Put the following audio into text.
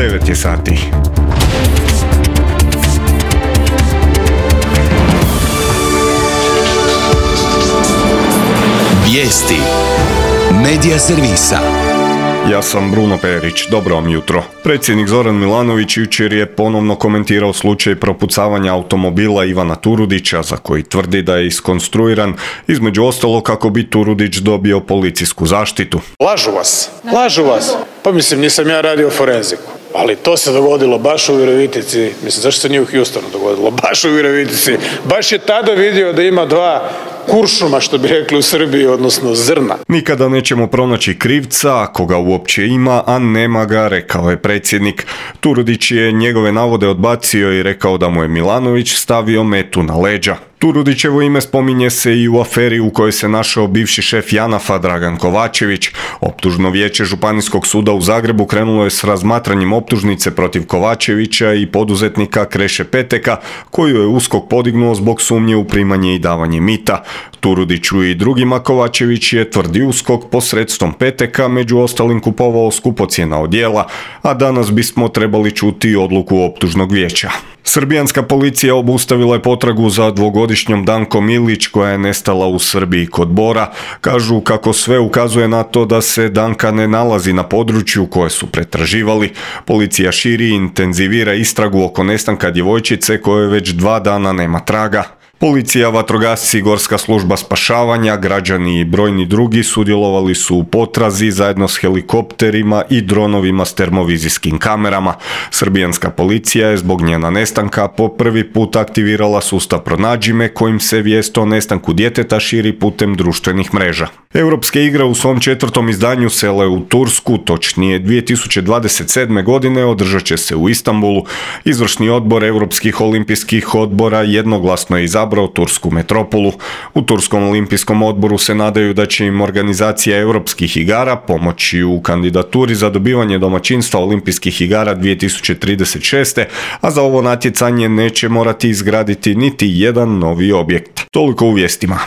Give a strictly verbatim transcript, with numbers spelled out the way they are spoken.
devet je sati. Vijesti Medija servisa. Ja sam Bruno Perić, dobro vam jutro. Predsjednik Zoran Milanović jučer je ponovno komentirao slučaj propucavanja automobila Ivana Turudića, za koji tvrdi da je iskonstruiran, između ostalo kako bi Turudić dobio policijsku zaštitu. Lažu vas, lažu vas. Pa mislim, nisam ja radio forenziku, ali to se dogodilo baš u Virovitici. Mislim, zašto se nije u Houstonu dogodilo? Baš u Virovitici. Baš je tada vidio da ima dva kuršuma, što bi rekli u Srbiji, odnosno zrna. Nikada nećemo pronaći krivca, ako ga uopće ima, a nema ga, rekao je predsjednik. Turudić je njegove navode odbacio i rekao da mu je Milanović stavio metu na leđa. Turudićevo ime spominje se i u aferi u kojoj se našao bivši šef JANAF-a Dragan Kovačević. Optužno vijeće Županijskog suda u Zagrebu krenulo je s razmatranjem optužnice protiv Kovačevića i poduzetnika Kreše Peteka, koju je USKOK podignuo zbog sumnje u primanje i davanje mita. Turudiću i drugima Kovačević je, tvrdi USKOK, posredstvom Peteka među ostalim kupovao skupocjena odjela, a danas bismo trebali čuti odluku optužnog vijeća. Srbijanska policija obustavila je potragu za dvogodišnjom Dankom Ilić koja je nestala u Srbiji kod Bora. Kažu kako sve ukazuje na to da se Danka ne nalazi na području koje su pretraživali. Policija širi i intenzivira istragu oko nestanka djevojčice koje već dva dana nema traga. Policija, vatrogasci, Gorska služba spašavanja, građani i brojni drugi sudjelovali su u potrazi zajedno s helikopterima i dronovima s termovizijskim kamerama. Srbijanska policija je zbog njena nestanka po prvi put aktivirala sustav Pronađi me, kojim se vijest o nestanku djeteta širi putem društvenih mreža. Europske igre u svom četvrtom izdanju sele u Tursku, točnije dvije tisuće dvadeset sedme. godine, održat će se u Istanbulu. Izvršni odbor Europskih olimpijskih odbora jednoglasno je izabrao tursku metropolu. U Turskom olimpijskom odboru se nadaju da će im organizacija Europskih igara pomoći u kandidaturi za dobivanje domaćinstva Olimpijskih igara dvije tisuće trideset šeste. a za ovo natjecanje neće morati izgraditi niti jedan novi objekt. Toliko u vijestima.